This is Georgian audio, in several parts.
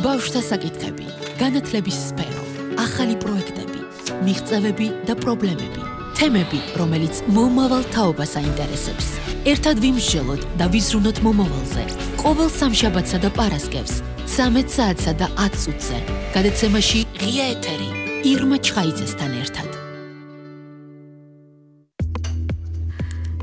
ბავშვთა საკითხები, განათლების სფერო, ახალი პროექტები, მიღწევები და პრობლემები, თემები, რომელიც მომავალ თაობას აინტერესებს. ერთად ვიმსჯელოთ და ვიზრუნოთ მომავალზე. ყოველ სამშაბათსა და პარასკევს, 13 საათსა და 10 წუთზე. გადაცემაში ღია ეთერი, ირმა ჩხაიძესთან ერთად.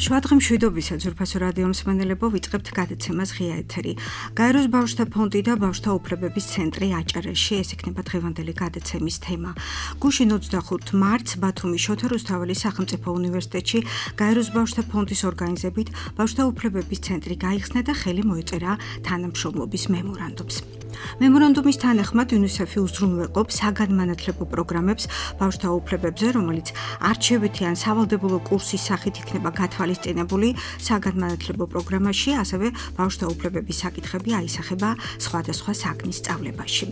შვადღი მშვიდობისა ძვირფასო რადიო მსმენელებო, ვიწყებთ გადაცემას ღია ეთერი. გაეროს ბავშვთა ფონდი და ბავშვთა უფლებების ცენტრი აჭარაში, ეს იქნება დღევანდელი გადაცემის თემა. გუშინ 25 მარტს ბათუმის შოთა რუსთაველის სახელმწიფო უნივერსიტეტში გაეროს ბავშვთა ფონდის ორგანიზებით ბავშვთა უფლებების ცენტრი გაიხსნა და ხელი მოეწერა თანამშრომლობის მემორანდუმს. მემორანდუმის თანახმად UNICEF-ი უზრუნველყოფს საგანმანათლებლო პროგრამებს ბავშვთა უფლებებზე, რომელიც არჩევითი ან სავალდებულო კურსის სახით იქნება გათვალისწინებული საგანმანათლებლო პროგრამაში, ასევე ბავშვთა უფლებების საკითხები აისახება სხვადასხვა საგნის სწავლებაში.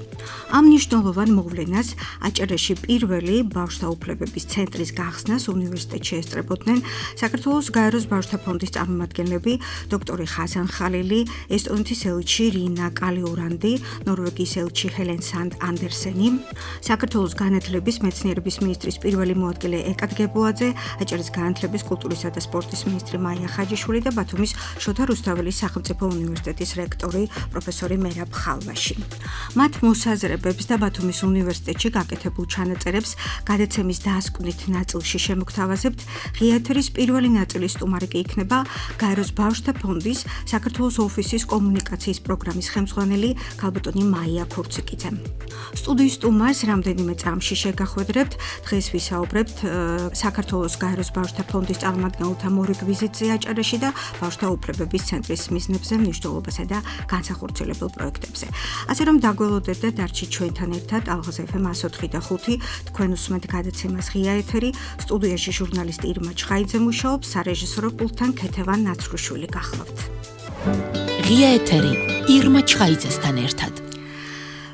ამ მნიშვნელოვან მოვლენას აჭარაში პირველი ბავშვთა უფლებების ცენტრის გახსნას უნივერსიტეტში ესწრებოდნენ საქართველოს გაეროს ბავშვთა ფონდის წარმომადგენლები დოქტორი ხაზან ხალილი, ესტონეთის ელჩი რინა კალიურანდი, ნორვეგიის ელჩი ჰელენ სანდ ანდერსენი, საქართველოს განათლების მეცნიერების მინისტრის პირველი მოადგილე ეკად გებოაძე, აჭარის განათლების, კულტურისა და სპორტის მინისტრი მაია ხაჯიშვილი და ბათუმის შოთა რუსთაველის სახელმწიფო უნივერსიტეტის რექტორი პროფესორი მერაბ ხალვაში. მათ მოსაზრებებს და ბათუმის უნივერსიტეტში გაკეთებულ ჩანაწერებს გადაცემის დასკვნით ნაწილში შემოგთავაზებთ. ღია ეთერის პირველი ნაწილის სტუმარი კი იქნება გაეროს ბავშვთა ფონდის საქართველოს ოფისის კომუნიკაციის პროგრამის ხელმძღვანელი ქალბატონი მაია ქურციკიძე. სტუდიის სტუმარს რამდენიმე წამში შეგახვედრებთ. დღეს ვისაუბრებთ საქართველოს გაეროს ბავშვთა ფონდის წარმომადგენელთა მორიგ ვიზიტზე აჭარაში და ბავშვთა უფლებების ცენტრის მიზნებზე, მნიშვნელობასა და განსახორციელებელ პროექტებზე. ასე რომ დაგველოდეთ და დარჩით ჩვენთან ერთად ალღაზ FM 104 და 5. თქვენ უსმენთ გადაცემას ღია ეთერი. სტუდიაში ჟურნალისტი ირმა ჩხაიძე მუშაობს, სარეჟისორო პულტთან ქეთევან ნაცრუშვილი გახლავთ. ღია ეთერი, ირმა ჩხაიძესთან ერთად.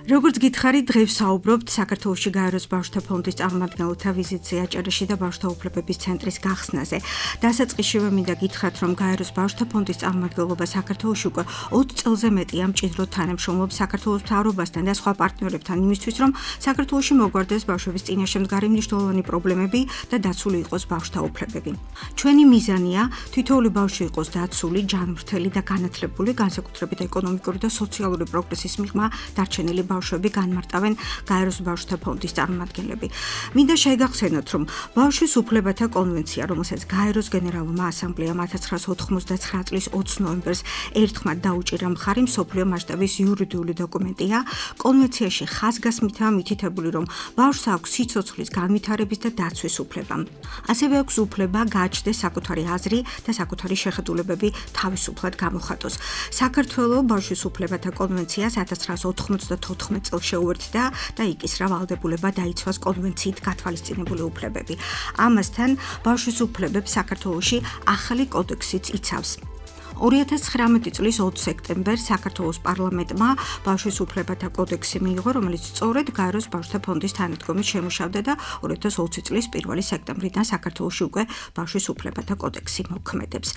როგორც გითხარით, დღეს ვსაუბრობთ საქართველოში გაეროს ბავშვთა ფონდის წარმომადგენელთა ვიზიტზე აჭარაში და ბავშვთა უფლებების ცენტრის გახსნაზე. დასაწყისშივე მინდა გითხრათ, რომ გაეროს ბავშვთა ფონდის წარმომადგენლობა საქართველოში უკვე 20 წელზე მეტია მჭიდროდ თანამშრომლობს საქართველოს მთავრობასთან და სხვა პარტნიორებთან იმისთვის, რომ საქართველოში მოგვარდეს ბავშვების წინაშე მდგარი მნიშვნელოვანი პრობლემები და დაცული იყოს ბავშვთა უფლებები. ჩვენი მიზანია თითოეული ბავშვი იყოს დაცული, ჯანმრთელი და განათლებული, განსაკუთრებით ეკონომიკური და სოციალური პროგრესის მიღმა დარჩენილი ბავშვები განმარტავენ გაეროს ბავშვთა ფონდის წარმომადგენლები. მინდა შეგახსენოთ, რომ ბავშვის უფლებათა კონვენცია, რომელსაც გაეროს გენერალურმა ასამბლეამ 1999 წლის 20 ნოემბერს ერთხმად დაუჭირა მხარი, მსოფლიო მასშტაბის იურიდიული დოკუმენტია. კონვენციაში ხაზგასმითაა მითითებული, რომ ბავშვს აქვს სიცოცხლის განვითარების და დაცვის უფლება. ასევე აქვს უფლება გააჩნდეს საკუთარი აზრი და საკუთარი შეხედულებები თავისუფლად გამოხატოს. საქართველოს ბავშვის უფლებათა კონვენციას 1994 წელს შეუერთდა და იკისრა ვალდებულება დაიცვას კონვენციით გათვალისწინებული უფლებები. ამასთან ბავშვის უფლებებს საქართველოში ახალი კოდექსიც იცავს. 2019 წლის 20 სექტემბერს საქართველოს პარლამენტმა ბავშვის უფლებათა კოდექსი მიიღო, რომელიც სწორედ გაეროს ბავშვთა ფონდის თანადგომით შემუშავდა და 2020 წლის 1 სექტემბრიდან საქართველოში უკვე ბავშვის უფლებათა კოდექსი მოქმედებს.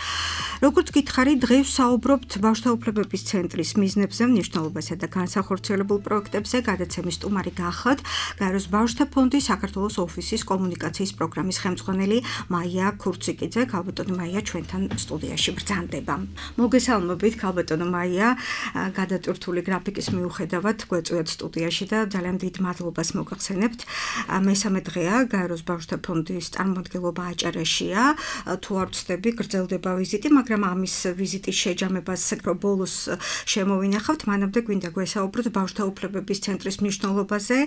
როგორც გითხარით, დღეს ვსაუბრობთ ბავშვთა უფლებების ცენტრის მიზნებზე, მნიშვნელობასა და განსახორციელებულ პროექტებზე. გადაცემის სტუმარი გახლავთ გაეროს ბავშვთა ფონდის საქართველოს ოფისის კომუნიკაციის პროგრამის ხელმძღვანელი მაია ქურციკიძე. ქალბატონი მაია ჩვენთან სტუდიაში ბრძანდება. მოგესალმებით, ქალბატონო მაია, გადატვირთული გრაფიკის მიუხედავად გვეწვიათ სტუდიაში და ძალიან დიდ მადლობას მოგახსენებთ. მესამე დღეა გაეროს ბავშვთა ფონდის წარმომადგენლობა აჭარაშია. თუ არ ვცდები, გრძელდება ვიზიტი, მაგრამ ამის ვიზიტის შეჯამებას ბოლოს შემოვინახავთ. მანამდე გვინდა გვესაუბროთ ბავშვთა უფლებების ცენტრის მნიშვნელობაზე,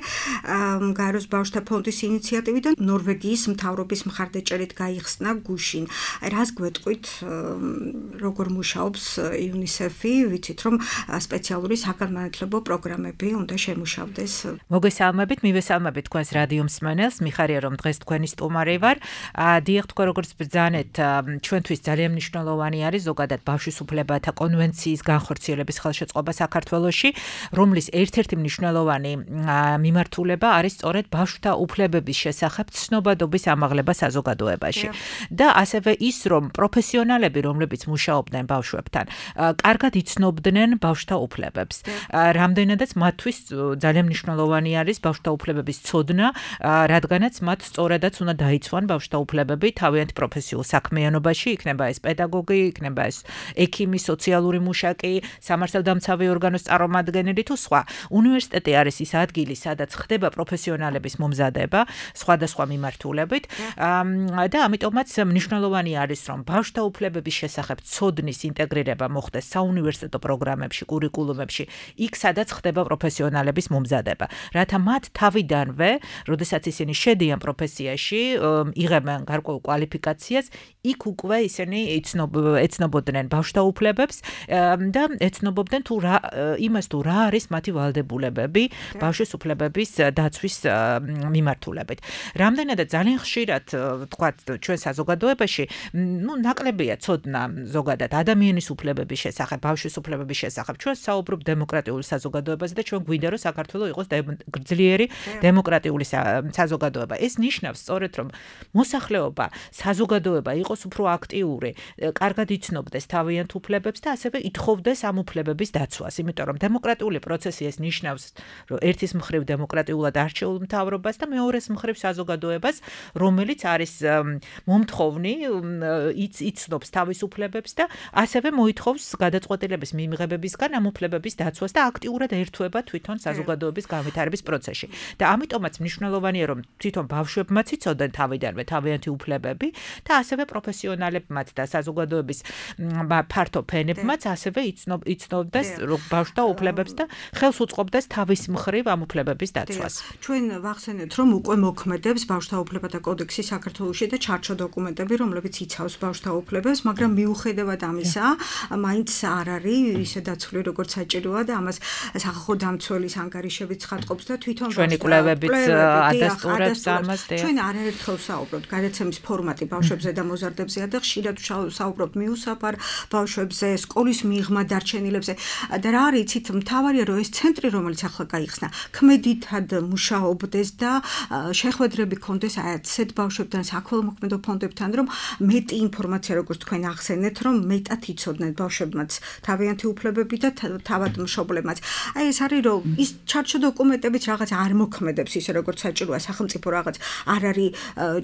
გაეროს ბავშვთა ფონდის ინიციატივიდან ნორვეგიის მთავრობის მხარდაჭერით გაიხსნა გუშინ. რას გვეტყვით, როგორ მუშაობს UNICEF-ი, ვიცით, რომ სპეციალური საგანმანათლებლო პროგრამები უნდა შემუშავდეს. მოგესალმებით, მივესალმებით თქვენს რადიო მსმენელს, მიხარია რომ დღეს თქვენი სტუმარი ვარ. დიახ, თქვენ როგორც ბრძანეთ, ჩვენთვის ძალიან მნიშვნელოვანი არის ზოგადად ბავშვის უფლებათა კონვენციის განხორციელების ხელშეწყობა საქართველოში, რომლის ერთ-ერთი მნიშვნელოვანი მიმართულება არის სწორედ ბავშვთა უფლებების შესახებ ცნობადობის ამაღლება საზოგადოებაში. და ასევე ის, რომ პროფესიონალები, რომლებიც მუშაობდნენ იცოდნენ ბავშვებთან. კარგად იცნობდნენ ბავშვთა უფლებებს. რამდენადაც მათთვის ძალიან მნიშვნელოვანი არის ბავშვთა უფლებების ცოდნა, რადგანაც მათ სწორედაც უნდა დაიცვან ბავშვთა უფლებები თავიანთ პროფესიულ საქმიანობაში, იქნება ეს პედაგოგი, იქნება ეს ექიმი, სოციალური მუშაკი, სამართალდამცავი ორგანოს წარმომადგენელი თუ სხვა. უნივერსიტეტი არის ის ადგილი, სადაც ხდება პროფესიონალების მომზადება სხვადასხვა მიმართულებით და ამიტომაც მნიშვნელოვანი არის, რომ ბავშვთა უფლებების შესახებ ცოდნის ინტეგრირება მოხდეს საუნივერსიტეტო პროგრამებში, კურიკულუმებში, იქ სადაც ხდება პროფესიონალების მომზადება. რათა მათ თავიდანვე, როდესაც ისინი შედიან პროფესიაში, იღებენ გარკვეულ კვალიფიკაციას, იქ უკვე ისინი ეცნობოდნენ ბავშვთა უფლებებს და ეცნობობდნენ იმას თუ რა არის მათი ვალდებულებები ბავშვის უფლებების დაცვის მიმართულებით. რამდენადაც ძალიან ხშირად თქვათ ჩვენ საზოგადოებაში, ნაკლებია ცოდნა ზოგადად ადამიანის უფლებების შესახებ, ბავშვის უფლებების შესახებ. ჩვენ საუბრობ დემოკრატიულ საზოგადოებაზე და ჩვენ გვინდა რომ საქართველო იყოს გრძლიერი დემოკრატიული საზოგადოება. ეს ნიშნავს სწორედ რომ მოსახლეობა, საზოგადოება იყოს უფრო აქტიური, კარგად იცნობდეს თავიანთ უფლებებს და ასევე ითხოვდეს ამ უფლებების დაცვას. იმიტომ რომ დემოკრატიული პროცესი ეს ნიშნავს რომ ერთის მხრივ დემოკრატიულად არჩეულ მთავრობას და მეორეს მხრივ საზოგადოებას, რომელიც არის მომთხოვნი, იცნობს თავის უფლებებს და ასევე მოითხოვს გადაწყვეტილების მიღებებისგან ამ უფლებების დაცვას და აქტიურად ერთვება თვითონ საზოგადოების განვითარების პროცესში. და ამიტომაც მნიშვნელოვანია რომ თვითონ ბავშვებმაც იცოდნენ თავიდანვე თავიანთი უფლებები და ასევე პროფესიონალებმაც და საზოგადოების ფართო ფენებმაც ასევე იცნობდეს ბავშვთა უფლებებს და ხელს უწყობდეს თავის მხრივ ამ უფლებების დაცვას. ჩვენ ვახსენეთ რომ უკვე მოქმედებს ბავშვთა უფლებათა კოდექსი საქართველოში და ჩარჩო დოკუმენტები, რომლებიც იცავს ბავშვთა უფლებებს, მაგრამ მიუხედავად ამისა, მაინც არ არის ისე დაცული როგორც საჭიროა და ამას სახალხო დამცველის ანგარიშებიც ხატყობს და თვითონ ჩვენი კვლევებიც ადასტურებს ამას. ჩვენ არაერთხელ ვსაუბრობთ გადაცემის ფორმატი ბავშვებზე და მოზარდებზეა და ხშირად ვსაუბრობთ მიუსაფარ ბავშვებზე, სკოლის მიღმა დარჩენილებზე და რა არის იცით, მთავარია რომ ეს ცენტრი, რომელიც ახლა გაიხსნა, ქმედითად მუშაობდეს და შეხვედრები ქონდეს ასეთ ბავშვებთან, საქველმოქმედო ფონდებთან, რომ მეტი ინფორმაცია, როგორც თქვენ ახსენეთ, რომ მეტად იცოდნენ ბავშვებმაც თავიანთი უფლებები და თავად მშობლებმაც. აი ეს არის რომ ის ჩარჩო დოკუმენტებიც რაღაც არ მოქმედებს ისე როგორც საჭიროა, სახელმწიფო რაღაც არ არის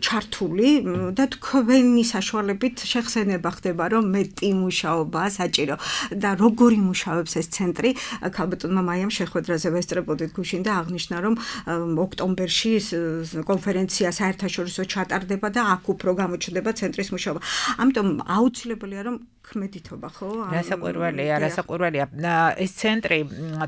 ჩართული და თქვენი საშუალებით შეხსენება ხდება, რომ მეტი მუშაობა საჭირო და როგორი მუშაობს ეს ცენტრი. ქალბატონმა მაიამ შეხვედრაზე ვესწრებოდით გუშინ და აღნიშნა, რომ ოქტომბერში კონფერენცია საერთაშორისო ჩატარდება და აქ უფრო გამოჩნდება ცენტრის მუშაობა. ამიტომ აუცილებელია რომ ქმედითობა, ხო? რასაკვირველია. ეს ცენტრი,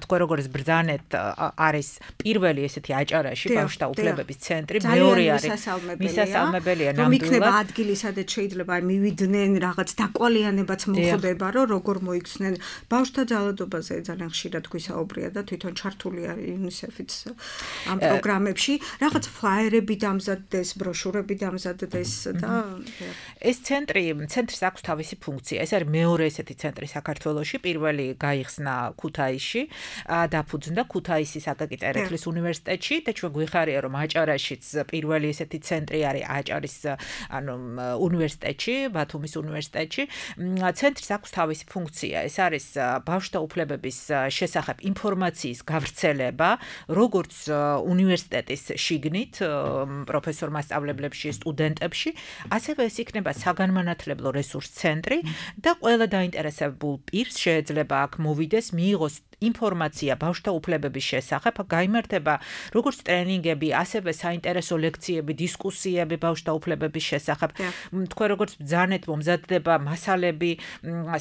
თქვენ როგორც ბრძანეთ, არის პირველი ესეთი აჭარაში ბავშვთა უფლებების ცენტრი, მეორე არის მისასალმებელია ნამდვილად. იქნება ადგილი, სადაც შეიძლება მივიდნენ რაღაც დაკვალიანებაც მოხდება, რომ როგორ მოიქცნენ ბავშვთა ძალადობაზე ძალიან ხშირად გვისაუბრია და თვითონ ჩართულია UNICEF-იც ამ პროგრამებში. რაღაც ფლაიერები დამზადდეს, ბროშურები დამზადდეს და ეს ცენტრის აქვს თავისი ფუნქცია. ეს არის მეორე ესეთი ცენტრი საქართველოში, პირველი გაიხსნა ქუთაისში, დაფუძნდა ქუთაისის აკაკი წერეთლის უნივერსიტეტში და ჩვენ გვიხარია რომ აჭარაშიც პირველი ესეთი ცენტრი არის აჭარის უნივერსიტეტში, ბათუმის უნივერსიტეტში. ცენტრის აქვს თავისი ფუნქცია. ეს არის ბავშვთა უფლებების შესახებ ინფორმაციის გავრცელება, როგორც უნივერსიტეტის შიგნით, პროფესორ მასწავლებლებში, სტუდენტებში, ასევე ეს იქნება საგანმანათლებლო რესურს ცენტრი და ყველა დაინტერესებულ პირს შეიძლება აქ მოვიდეს, მიიღოს ინფორმაცია ბავშვთა უფლებების შესახებ, გაიმართება როგორც ტრენინგები, ასევე საინტერესო ლექციები, დისკუსიები ბავშვთა უფლებების შესახებ. თქვენ როგორც ბრძანეთ, მომზადდება მასალები,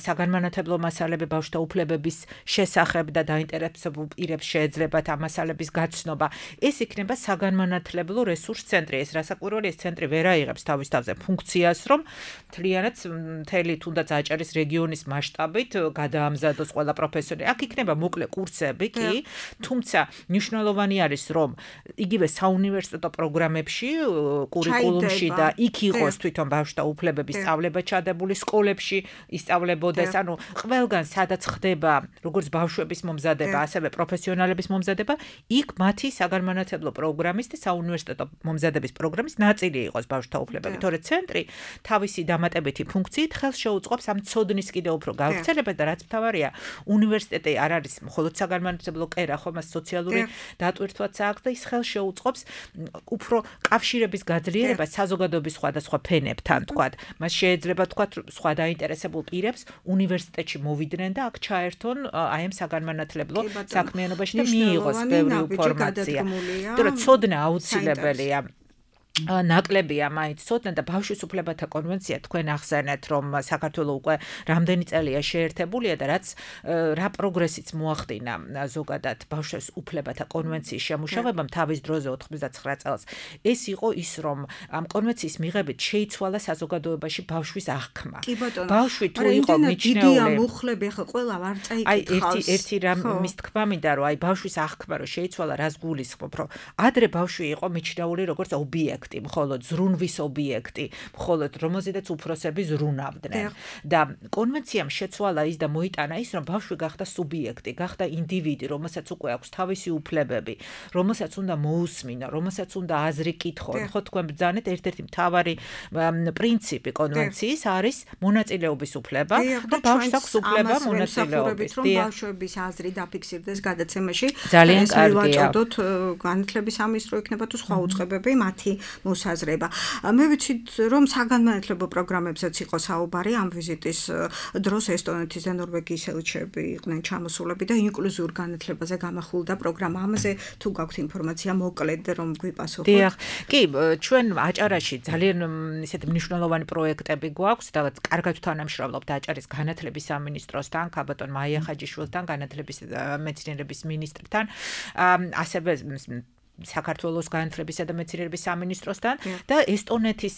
საგანმანათლებლო მასალები ბავშვთა უფლებების შესახებ და დაინტერესებულ პირებს შეეძლებათ ამ მასალების გაცნობა. ეს იქნება საგანმანათლებლო რესურს ცენტრი. ეს რასაკვირველია, ეს ცენტრი ვერ აიღებს თავის თავზე ფუნქციას, რომ მთლიანად მთელი თუნდაც აჭარის რეგიონის მასშტაბით გადაამზადოს ყველა პროფესორი. აქ იქნება მოკლე კურსები კი, თუმცა მნიშვნელოვანი არის რომ იგივე საუნივერსიტეტო პროგრამებში, კურიკულუმში და იქ იყოს თვითონ ბავშვთა უფლებების სწავლება ჩადებული სკოლებში ისწავლებოდეს, ანუ ყველგან სადაც ხდება როგორც ბავშვების მომზადება, ასევე პროფესიონალების მომზადება, იქ მათი საგანმანათლებლო პროგრამის და საუნივერსიტეტო მომზადების პროგრამის ნაწილი იყოს ბავშვთა უფლებები. თორე ცენტრი თავისი დამატებითი ფუნქციით ხელს შეუწყობს ამ ცოდნის კიდევ უფრო გავრცელებას და რაც მთავარია, უნივერსიტეტი არ არის მხოლოდ საგანმანათლებლო კერა, ხომ მას სოციალური დატვირთვაც აქვს და ის ხელს შეუწყობს უფრო კავშირების გაძლიერებას საზოგადოების სხვადასხვა ფენებთან, თქვათ. მას შეიძლება თქვათ სხვა დაინტერესებულ პირებს უნივერსიტეტში მოვიდნენ და აქ ჩაერთონ აი ამ საგანმანათლებლო საქმიანობაში და მიიღოს ბევრი ინფორმაცია. იმიტომ რომ ცოდნა აუცილებელია. ნაკლებია მაინც ცოდნა და ბავშვის უფლებათა კონვენცია თქვენ ახსენეთ რომ საქართველოს უკვე რამდენი წელია შეერთებულია და რაც რა პროგრესიც მოახდინა ზოგადად ბავშვის უფლებათა კონვენციის შემუშავებამ თავის დროზე 99 წელს ეს იყო ის რომ ამ კონვენციის მიღებით შეიცვალა საზოგადოებაში ბავშვის აღქმა. ბავშვი თუ იყო მიჩნეული დიდია მუხლები ახლა ყველა არ წაიკითხავს. ერთი რამის თქმა მინდა რომ აი ბავშვის აღქმა რომ შეიცვალა რას გულისხმობ რომ ადრე ბავშვი იყო მიჩნეული როგორც ობიექტი მხოლოდ ზრუნვის ობიექტი, მხოლოდ რომელზედაც უფროსები ზრუნავდნენ. და კონვენციამ შეცვალა ის და მოიტანა ის, რომ ბავშვი გახდა სუბიექტი, გახდა ინდივიდი, რომელსაც უკვე აქვს თავისი უფლებები, რომელსაც უნდა მოусმინო, რომელსაც უნდა აზრი კითხონ. ხო თქვენ ბრძანეთ, ერთ-ერთი მთავარი პრინციპი კონვენციის არის მონაწილეობის უფლება და ბავშვს აქვს უფლება მონაწილეობის. რომ ბავშვების აზრი დაფიქსირდეს გადაცემაში. ძალიან კარგია. ვაჭრობთ განათლების სამინისტრო იქნება თუ სხვა უწყებები მათი მოსაზრება. მე ვიცით რომ საგანმანათლებლო პროგრამებზეც იყო საუბარი ამ ვიზიტის დროს ესტონეთის და ნორვეგიის ელჩები იყვნენ ჩამოსულები და ინკლუზიურ განათლებაზე გამახვილდა პროგრამა. ამაზე თუ გაქვთ ინფორმაცია მოკლედ რომ გვიპასუხოთ. დიახ. კი, ჩვენ აჭარაში ძალიან ისეთი მნიშვნელოვანი პროექტები გვაქვს და კარგად თანამშრომლობთ აჭარის განათლების სამინისტროსთან, ქაბატონ მაია ხაჯიშვილთან, განათლების მეცნიერების მინისტრთან, ასევე საქართველოს განათლებისა და მეცნიერების სამინისტროსთან და ესტონეთის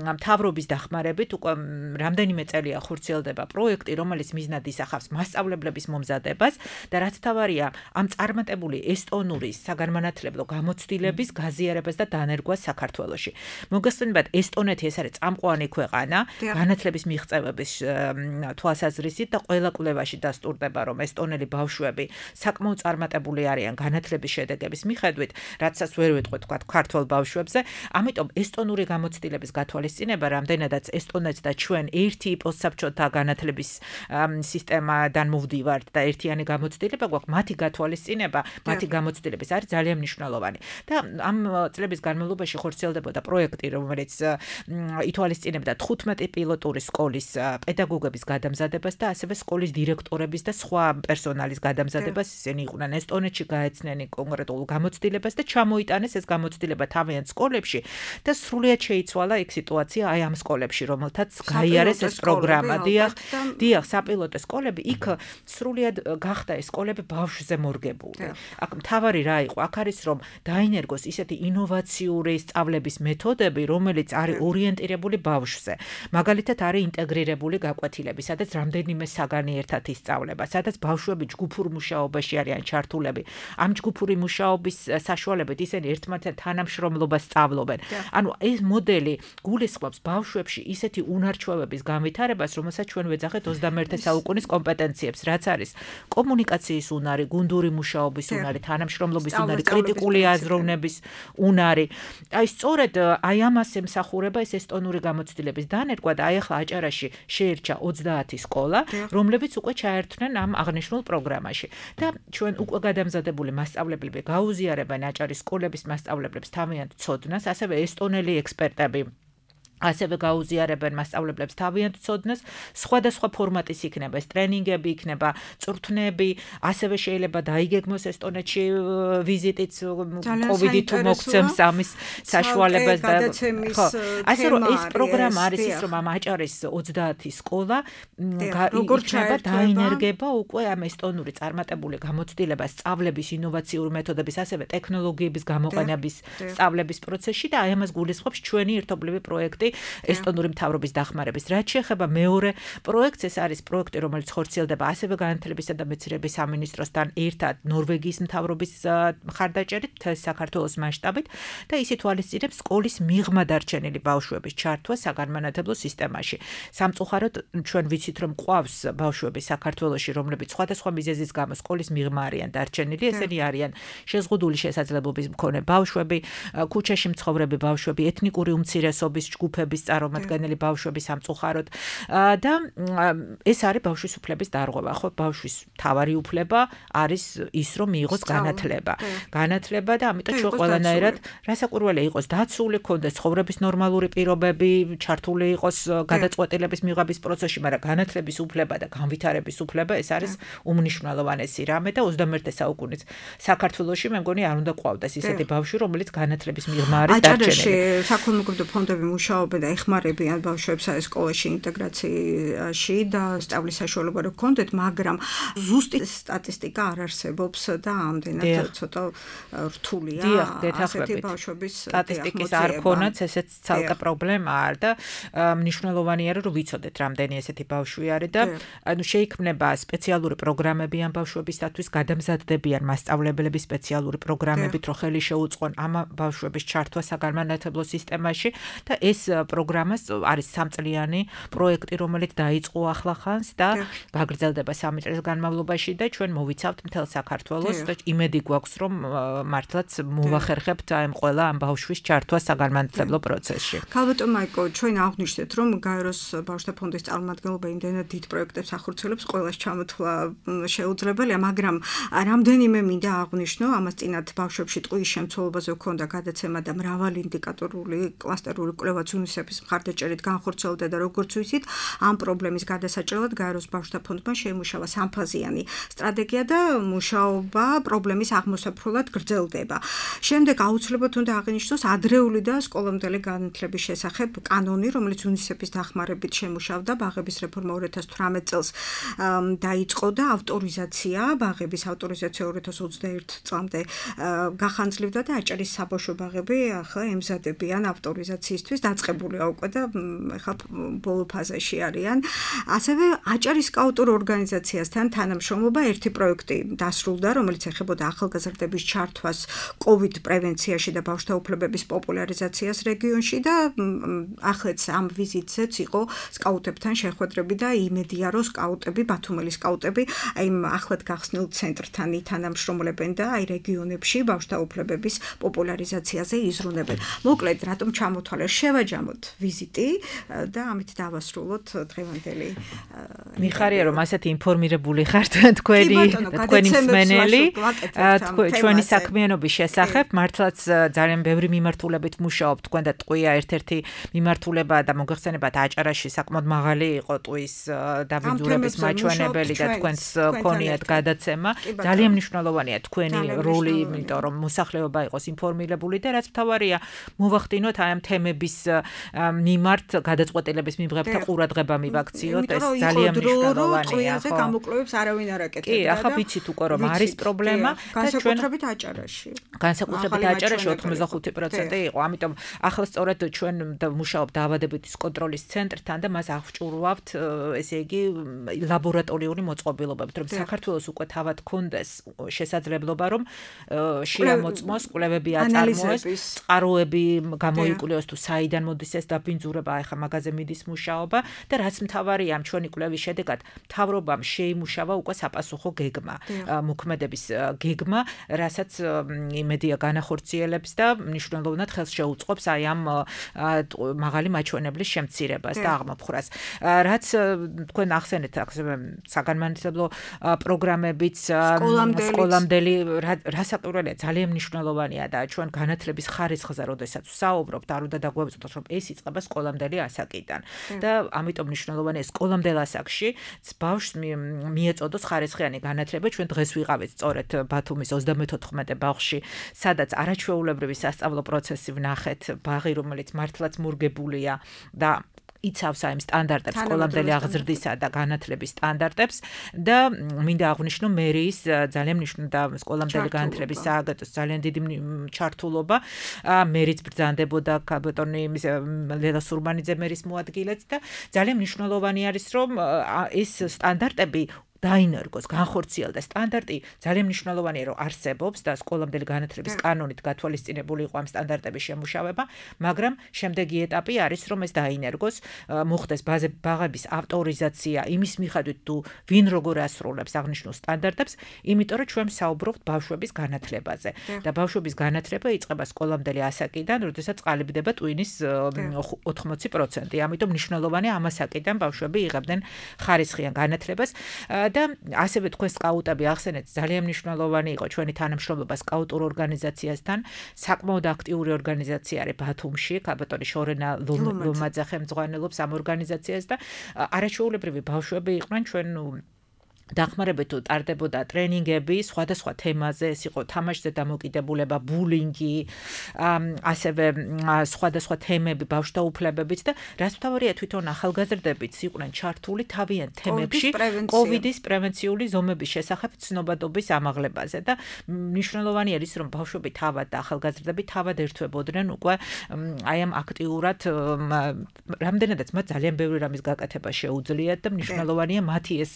მთავრობის დახმარებით უკვე რამდენიმე წელია ხორციელდება პროექტი, რომელიც მიზნად ისახავს მასწავლებლების მომზადებას და რაც მთავარია, ამ წარმატებული ესტონური საგანმანათლებლო გამოცდილების გაზიარებას და დანერგვას საქართველოში. მოგესწრებათ, ესტონეთი ეს არის წამყვანი ქვეყანა განათლების მიღწევების თვალსაზრისით და ყველა კვლევაში დასტურდება, რომ ესტონელი ბავშვები საკმაოდ წარმატებული არიან განათლების შედეგების მიხედვით. რაცაც ვერ ვეთქვით თქვა ქართულ ბავშვებზე, ამიტომ ესტონური გამოცდილების გათვალისწინება რამდენადაც ესტონეთს და ჩვენ ერთი პოსტსაბჭოთა განათლების სისტემიდან მოვდივართ და ერთიანი გამოცდილება გვაქვს, მათი გათვალისწინება, მათი გამოცდილების არის ძალიან მნიშვნელოვანი. და ამ წლების განმავლობაში ხორციელდებოდა პროექტი, რომელიც ითვალისწინებდა 15 პილოტური სკოლის პედაგოგების გადამზადებას და ასევე სკოლის დირექტორების და სხვა პერსონალის გადამზადებას. ისინი იყვნენ ესტონეთში გაეცნენ კონკრეტულ გამოცდილებას და ჩამოიტანეს ეს გამოცდილება თავიანთ სკოლებში და სრულიად შეიცვალა იქ სიტუაცია აი ამ სკოლებში, რომელთაც გაიარეს ეს პროგრამა. დიახ, საპილოტო სკოლები, იქ სრულიად გახდა ეს სკოლები ბავშვზე მორგებული. აქ მთავარი რა იყო? აქ არის რომ დაინერგოს ისეთი ინოვაციური სწავლების მეთოდები, რომელიც არის ორიენტირებული ბავშვზე. მაგალითად არის ინტეგრირებული გაკვეთილები, სადაც რამდენიმე საგანი ერთად ისწავლება, სადაც ბავშვები ჯგუფურ მუშაობაში არიან ჩართულები. ამ ჯგუფური მუშაობის საშუალებით ისინი ერთმანეთთან თანამშრომლობას სწავლობენ. ანუ ეს მოდელი გულისხმობს ბავშვებში ისეთი უნარჩვევების განვითარებას, რომელსაც ჩვენ ვეძახეთ 21 საუკუნის კომპეტენციებს, რაც არის კომუნიკაციის უნარი, გუნდური მუშაობის უნარი, თანამშრომლობის უნარი, კრიტიკული აზროვნების უნარი. აი სწორედ აი ამას ემსახურება ეს ესტონური გამოცდილების დანერგვა და აი ახლა აჭარაში შეერჩა 30 სკოლა, რომლებიც უკვე ჩაერთვნენ ამ აღნიშნულ პროგრამაში. და ჩვენ უკვე გადამზადებული მასწავლებლები გაუზიარებენ აჭარის სკოლების მასწავლებლებს თავიანთ ცოდნას, ასევე ესტონელი ექსპერტები ასევე გაუზიარებენ მასწავლებლებს თავიანთ ცოდნას, სხვადასხვა ფორმატის იქნება, ეს ტრენინგები იქნება, წვრთნები, ასევე შეიძლება დაიგეგმოს ესტონეთში ვიზიტიც COVID თუ მოგცემს ამის საშუალებას და ხო, ასე რომ ეს პროგრამა არის ის, რომ ამ აჭარის 30 სკოლა იქნება დაინერგება უკვე ამ ესტონური წარმატებული გამოცდილება სწავლების ინოვაციური მეთოდების, ასევე ტექნოლოგიების გამოყენების სწავლების პროცესში და აი ამას გულისხმობს ჩვენი ერთობლივი პროექტი ესტონური მთავრობის დახმარების. რაც შეეხება მეორე პროექტს, ეს არის პროექტი, რომელიც ხორციელდება ასევე განათლებისა და მეცნიერების სამინისტროსთან ერთად ნორვეგიის მთავრობის მხარდაჭერით საქართველოს მასშტაბით და ის ითვალისწინებს სკოლის მიღმა დარჩენილი ბავშვების ჩართვა საგანმანათლებლო სისტემაში. სამწუხაროდ ჩვენ ვიცით, რომ ყავს ბავშვები საქართველოში, რომლებიც სხვადასხვა მიზეზის გამო სკოლის მიღმა არიან დარჩენილი, ესენი არიან შეზღუდული შესაძლებლობის მქონე ბავშვები, ქუჩაში მცხოვრები ბავშვები, ეთნიკური უმცირესობის ჯგუფების წარმომადგენელი ბავშვები სამწუხაროდ და ეს არის ბავშვის უფლების დარღვევა, ხო, ბავშვის თავარი უფლება არის ის, რომ მიიღოს განათლება. განათლება და ამიტომ ჩვენ ყველანაირად რასაკვირველია იყოს დაცული, ქონდეს ცხოვრების ნორმალური პირობები, ჩართული იყოს გადაწყვეტილების მიღების პროცესში, მაგრამ განათლების უფლება და განვითარების უფლება ეს არის უმნიშვნელოვანესი რამე და 21 საუკუნის საქართველოში მე მგონი არ უნდა ყვავდეს ისეთი ბავშვი, რომელიც განათლების მიღმა არის დარჩენილი. აჭარაში საქველმოქმედო ფონდები მუშაობენ და ეხმარებიან ბავშვებს სკოლაში ინტეგრაციაში და სწავლის საშუალება რო გქონდეთ, მაგრამ ზუსტი სტატისტიკა არ არსებობს და ამდენად ცოტა რთულია ასეთი ბავშვების სტატისტიკის არ ქონაც, ესეც ცალკე პრობლემაა და მნიშვნელოვანია რომ ვიცოდეთ რამდენი ესეთი ბავშვი არის და ანუ შეიქმნება სპეციალური პროგრამები ამ ბავშვებისათვის, გადამზადდებიან მასწავლებლები სპეციალური პროგრამებით, რომ ხელი შეუწყონ ამ ბავშვების ჩართვა საგანმანათლებლო სისტემაში და ეს პროგრამა არის 3 წლიანი პროექტი, რომელიც დაიწყო ახლახანს და გაგრძელდება 3 წლის განმავლობაში და ჩვენ მოვიცავთ მთელ საქართველოს და იმედი გვაქვს, რომ მართლაც მოვახერხებთ ამ ყველა ამ ბავშვის ჩართვა საგანმანათლებლო პროცესში. ქალბატონ მაიკო, ჩვენ აღვნიშნეთ, რომ გაეროს ბავშვთა ფონდის წარმომადგენლობა იმდენად დიდ პროექტებს ახორციელებს, ყველას ჩამოთვლა შეუძლებელია, მაგრამ რამდენიმე მინდა აღვნიშნო, ამას წინათ ბავშვებში ტყუის შემცველობაზე ჰქონდა გადაცემა და მრავალი ინდიკატორული კლასტერული კვლევაც UNICEF-ის მხარდაჭერით განხორციელდა და როგორც ვიცით, ამ პრობლემის გადასაჭრელად გაეროს ბავშვთა ფონდმა შეიმუშავა სამფაზიანი სტრატეგია და მუშაობა პრობლემის აღმოსაფრულად გრძელდება. შემდეგ აუცილებლად უნდა აღინიშნოს ადრეული და სკოლამდელი განათლების შესახებ კანონი, რომელიც UNICEF-ის დახმარებით შემუშავდა ბაღების რეფორმა 2018 წელს დაიწყო და ავტორიზაცია, ბაღების ავტორიზაცია 2021 წლამდე გახანძლივდა და აჭარის საბავშვო ბაღები ახლა ემზადებიან ავტორიზაციისთვის, დაწყებულია უკვე და ახლა ბოლო ფაზაში არიან. ასევე აჭარის სკაუტურ ორგანიზაციასთან თანამშრომლობა ერთი პროექტი დასრულდა, რომელიც ეხებოდა ახალგაზრდების ჩართვას COVID პრევენციაში და ბავშვთა უფლებების პოპულარიზაციას რეგიონში და ახლაც ამ ვიზიტზეც იყო სკაუტებთან შეხვედრები და იმედია, რომ სკაუტები, ბათუმელი სკაუტები აი ახლად გახსნილ ცენტრთან ითანამშრომლებენ და აი რეგიონებში ბავშვთა უფლებების პოპულარიზაციაზე იზრუნებენ. მოკლედ, რატომ ჩამოთვალეს, შევაჯამოთ ვიზიტი და ამით დავასრულოთ დღევანდელი. მიხარია, რომ ასეთი ინფორმირებული ხართ თქვენი მსმენელი ჩვენი საქმიანობის შესახებ, მართლაც ძალიან ბევრი მიმართულებით მუშაობთ, თქვენ და ტყვია ერთ-ერთი მიმართულება და მოგეხსენებათ აჭარაში საკმაოდ მაღალი იყო ტყვის დაბინძურების მაჩვენებელი და თქვენს ქონიათ გადაცემა. ძალიან მნიშვნელოვანია თქვენი როლი, იმიტომ რომ მოსახლეობა იყოს ინფორმირებული და რაც მთავარია, მოვახდინოთ აი ამ თემების მიმართ გადაწყვეტილების მიღებთა ყურადღება მივაქციოთ, ეს ძალიან მნიშვნელოვანია. ხო, გამოკვლევებს არავინ არ აკეთებდა. კი, ახლა ვიცით უკვე რომ არის პრობლემა და განსაკუთრებით აჭარაში. განსაკუთრებით აჭარაში 85% იყო, ამიტომ ახლა სწორედ ჩვენ მუშაობთ დაავადებების კონტროლის ცენტრთან და მას აღჭურვავთ, ესე იგი, ლაბორატორიული მოწყობილობებით, რომ საქართველოს უკვე თავად ქონდეს შესაძლებლობა, რომ შეამოწმოს, კვლევები აწარმოოს, წყაროები გამოიკვლიოს თუ საიდან მოდის ეს დაბინძურება, ახლა მაგაზე მიდის მუშაობა და რაც მთავარია ამ ჩვენი კვლევის შედეგად, მთავრობამ შეიმუშავა უკვე საპასუხო გეგმა, მოქმედების გეგმა, რასაც იმედია განახორციელებს და მნიშვნელოვნად ხელს შეუწყობს აი ამ მაღალი მაჩვენებლის შემცირებას და აღმოფხვრას. რაც თქვენ ახსენეთ საგანმანათლებლო პროგრამებიც, სკოლამდელი რასაკვირველია, ძალიან მნიშვნელოვანია და ჩვენ განათლების ხარისხზე როდესაც ვსაუბრობთ, არ უნდა დაგვეწოდოთ, რომ ეს იწყება სკოლამდელი ასაკიდან. და ამიტომ მნიშვნელოვანია სკოლამდელ ასაკში ბავშვს მიეწოდოს ხარისხიანი განათლება. ჩვენ დღეს ვიყავით სწორედ ბათუმის 34 ბაღში, სადაც არაჩვეულებრივი სასწავლო პროცესი ვნახეთ, ბაღი, რომელიც მართლაც მურგებულია და იცავს აი სტანდარტებს, სკოლამდელი აღზრდისა და განათლების სტანდარტებს და მინდა აღვნიშნო მერიის ძალიან მნიშვნელოვანი და სკოლამდელი განათლების სააგენტოს ძალიან დიდი ჩართულობა. მერიც ბრძანდებოდა ბატონი ლელა სურბანიძე მერის მოადგილეც და ძალიან მნიშვნელოვანი არის რომ ეს სტანდარტები დაინერგოს, განხორციელდეს. სტანდარტი ძალიან მნიშვნელოვანია, რომ არსებობს და სკოლამდელი განათლების კანონით გათვალისწინებული იყო ამ სტანდარტების შემუშავება, მაგრამ შემდეგი ეტაპი არის, რომ ეს დაინერგოს, მოხდეს ბაღების ავტორიზაცია იმის მიხედვით თუ ვინ როგორ ასრულებს აღნიშნულ სტანდარტებს, იმიტომ რომ ჩვენ საუბრობთ ბავშვების განათლებაზე და ბავშვების განათლება იწყება სკოლამდელი ასაკიდან, როდესაც ყალიბდება ტვინის 80%. ამიტომ მნიშვნელოვანია ამ ასაკიდან ბავშვები იღებდნენ ხარისხიან განათლებას. და ასევე თქვენ სკაუტები ახსენეთ ძალიან მნიშვნელოვანი იყო ჩვენი თანამშრომლობა სკაუტურ ორგანიზაციასთან საკმაოდ აქტიური ორგანიზაცია არის ბათუმში ბატონი შორენა ლომაძე ხელმძღვანელობს ამ ორგანიზაციას და არაჩვეულებრივი ბავშვები იყვნენ ჩვენ დახმარებით ტარდებოდა ტრენინგები სხვადასხვა თემაზე, ეს იყო თამაშზე დამოკიდებულება, ბულინგი, ასევე სხვადასხვა თემები ბავშვთა უფლებებით და რაც მთავარია თვითონ ახალგაზრდებიც იყვნენ ჩართული თავიანთ თემებში კოვიდის პრევენციული ზომების შესახებ ცნობადობის ამაღლებაზე და მნიშვნელოვანი არის რომ ბავშვები თავად და ახალგაზრდები თავად ერთვებოდნენ უკვე აი ამ აქტიურად რამდენადაც მათ ძალიან ბევრი რამის გაკეთება შეუძლიათ და მნიშვნელოვანია მათი ეს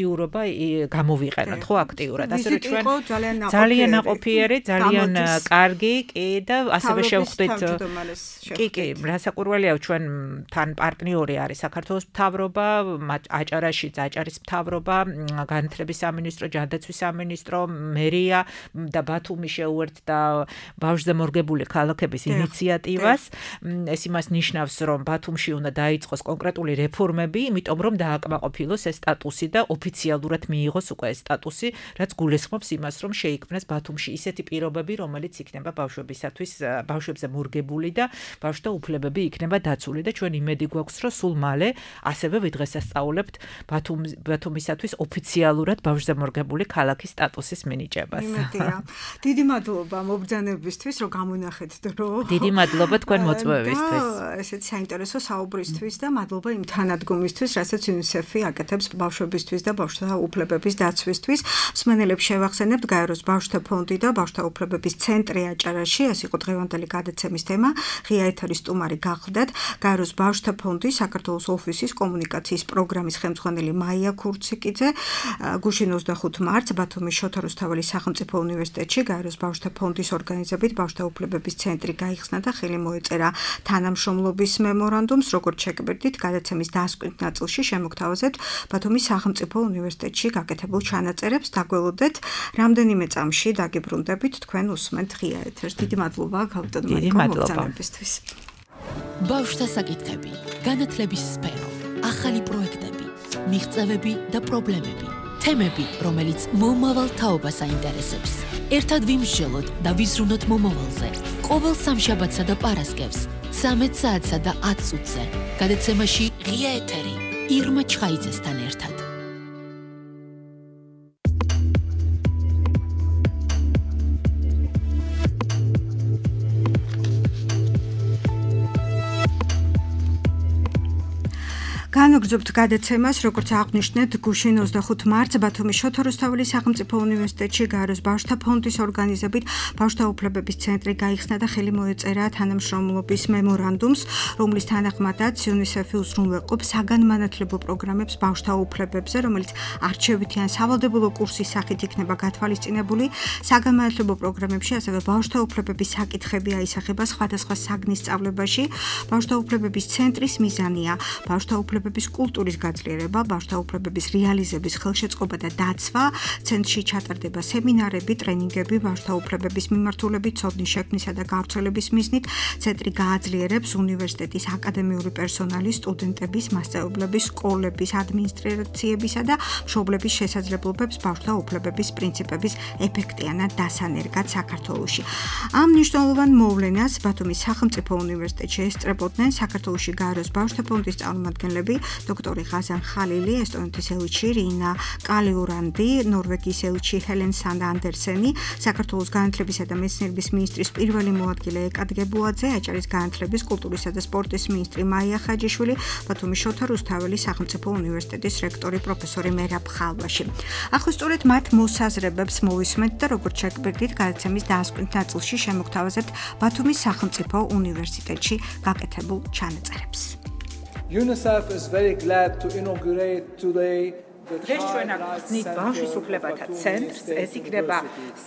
აქტიურობა გამოვიყენოთ ხო აქტიურად ასე რომ ჩვენ ძალიან ნაყოფიერი ძალიან კარგი კი და ასევე შევხვდით კი რასაკვირველია ჩვენ თან პარტნიორი არის საქართველოს მთავრობა აჭარაში აჭარის მთავრობა განათლების სამინისტრო ჯანდაცვის სამინისტრო მერია და ბათუმი შეუერთდა ბავშვზე მორგებული ქალაქების ინიციატივას ეს იმას ნიშნავს რომ ბათუმში უნდა დაიწყოს კონკრეტული რეფორმები იმიტომ რომ დააკმაყოფილოს ეს სტატუსი და ოფიციალურად მიიღოს უკვე ეს სტატუსი, რაც გულისხმობს იმას, რომ შეიქმნას ბათუმში ისეთი პირობები, რომელიც იქნება ბავშვებისათვის, ბავშვებზე მორგებული და ბავშვთა უფლებები იქნება დაცული და ჩვენ იმედი გვაქვს, რომ სულ მალე ასევე ვიდღესასწაულებთ ბათუმისათვის ოფიციალურად ბავშვზე მორგებული ქალაქის სტატუსის მინიჭებას. იმედია. დიდი მადლობა მობრძანებისთვის, რომ გამონახეთ დრო. დიდი მადლობა თქვენ მოწვევისთვის. ესეც საინტერესო საუბრისთვის და მადლობა იმ თანადგომისთვის, რასაც UNICEF-ი აკეთებს ბავშვებისთვის და ბავშვთა უფლებების დაცვისთვის. მსმენელებს შევახსენებთ გაეროს ბავშვთა ფონდი და ბავშვთა უფლებების ცენტრი აჭარაში. ეს იყო დღევანდელი გადაცემის თემა. ღია ეთერის სტუმარი გახლდათ გაეროს ბავშვთა ფონდი საქართველოს ოფისის კომუნიკაციის პროგრამის ხელმძღვანელი მაია ქურციკიძე. გუშინ 25 მარტს ბათუმის შოთა რუსთაველის სახელმწიფო უნივერსიტეტში გაეროს ბავშვთა ფონდის ორგანიზებით ბავშვთა უფლებების ცენტრი გაიხსნა და ხელი მოეწერა თანამშრომლობის მემორანდუმს. როგორც შეგბერდით, გადაცემის დასკვნის ნაწილში შემოგთავაზებთ ბათუმის სახელმწიფო უნივერსიტეტში გაკეთებულ ჩანაწერებს დაგველოდეთ. რამდენიმე წამში დაგიბრუნდებით თქვენ უსმენთ ღია ეთერს. დიდი მადლობა გალტონმა მოგზაურობისთვის. ბავშვთა საკითხები, განათლების სფერო, ახალი პროექტები, მიღწევები და პრობლემები, თემები, რომელიც მომავალ თაობას აინტერესებს. ერთად ვიმსჯელოთ და ვიზრუნოთ მომავალზე. ყოველ სამშაბათსა და პარასკევს 13 საათსა და 10 წუთზე. გადაცემაში ღია ეთერი ირმა ჩხაიძესთან ერთად. განაგრძობთ გადაცემას, როგორც აღნიშნეთ, გუშინ 25 მარტს ბათუმის შოთა რუსთაველის სახელმწიფო უნივერსიტეტში გაეროს ბავშვთა ფონდის ორგანიზებით ბავშვთა უფლებების ცენტრი გაიხსნა და ხელი მოეწერა თანამშრომლობის მემორანდუმს, რომლის თანახმადაც UNICEF-ი უზრუნველყოფს საგანმანათლებლო პროგრამებს ბავშვთა უფლებებზე, რომელიც არჩევითი ან სავალდებულო კურსის სახით იქნება გათვალისწინებული. საგანმანათლებლო პროგრამებში ასევე ბავშვთა უფლებების საკითხები აისახება სხვადასხვა საგნის სწავლებაში. ბავშვთა უფლებების ცენტრის მიზანია ბავშვთა უფლებების კულტურის გაძლიერება, ბავშვთა უფლებების რეალიზების ხელშეწყობა და დაცვა. ცენტრში ჩატარდება სემინარები, ტრენინგები ბავშვთა უფლებების მიმართულებით, ცოდნის შექმნისა და გავრცელების მიზნით. ცენტრი გააძლიერებს უნივერსიტეტის აკადემიური პერსონალის, სტუდენტების, მასწავლებლების, სკოლების, ადმინისტრაციებისა და მშობლების შესაძლებლობებს ბავშვთა უფლებების პრინციპების ეფექტიანად დასანერგად საქართველოში. ამ მნიშვნელოვან მოვლენას ბათუმის სახელმწიფო უნივერსიტეტში ესწრებოდნენ საქართველოში გაეროს ბავშვთა ფონდის წარმომადგენლები, დოქტორი ღაზან ხალილი, ესტონეთის ელჩი რინა კალიურანდი, ნორვეგიის ელჩი ჰელენ სანდ ანდერსენი, საქართველოს განათლებისა და მეცნიერების მინისტრის პირველი მოადგილე ეკად გებულაძე, აჭარის განათლების, კულტურისა და სპორტის მინისტრი მაია ხაჯიშვილი, ბათუმის შოთა რუსთაველის სახელმწიფო უნივერსიტეტის რექტორი პროფესორი მერაბ ხალვაში. ახლა სწორედ მათ მოსაზრებებს მოვისმენთ და როგორც შეგვიძლია გადაცემის დასკვნით ნაწილში შემოგთავაზებთ ბათუმის სახელმწიფო უნივერსიტეტში გაკეთებულ ჩანაწერებს. UNICEF is very glad to inaugurate today დღეს ჩვენ ახსნით ბავშვის უფლებათა ცენტრს, ეს იქნება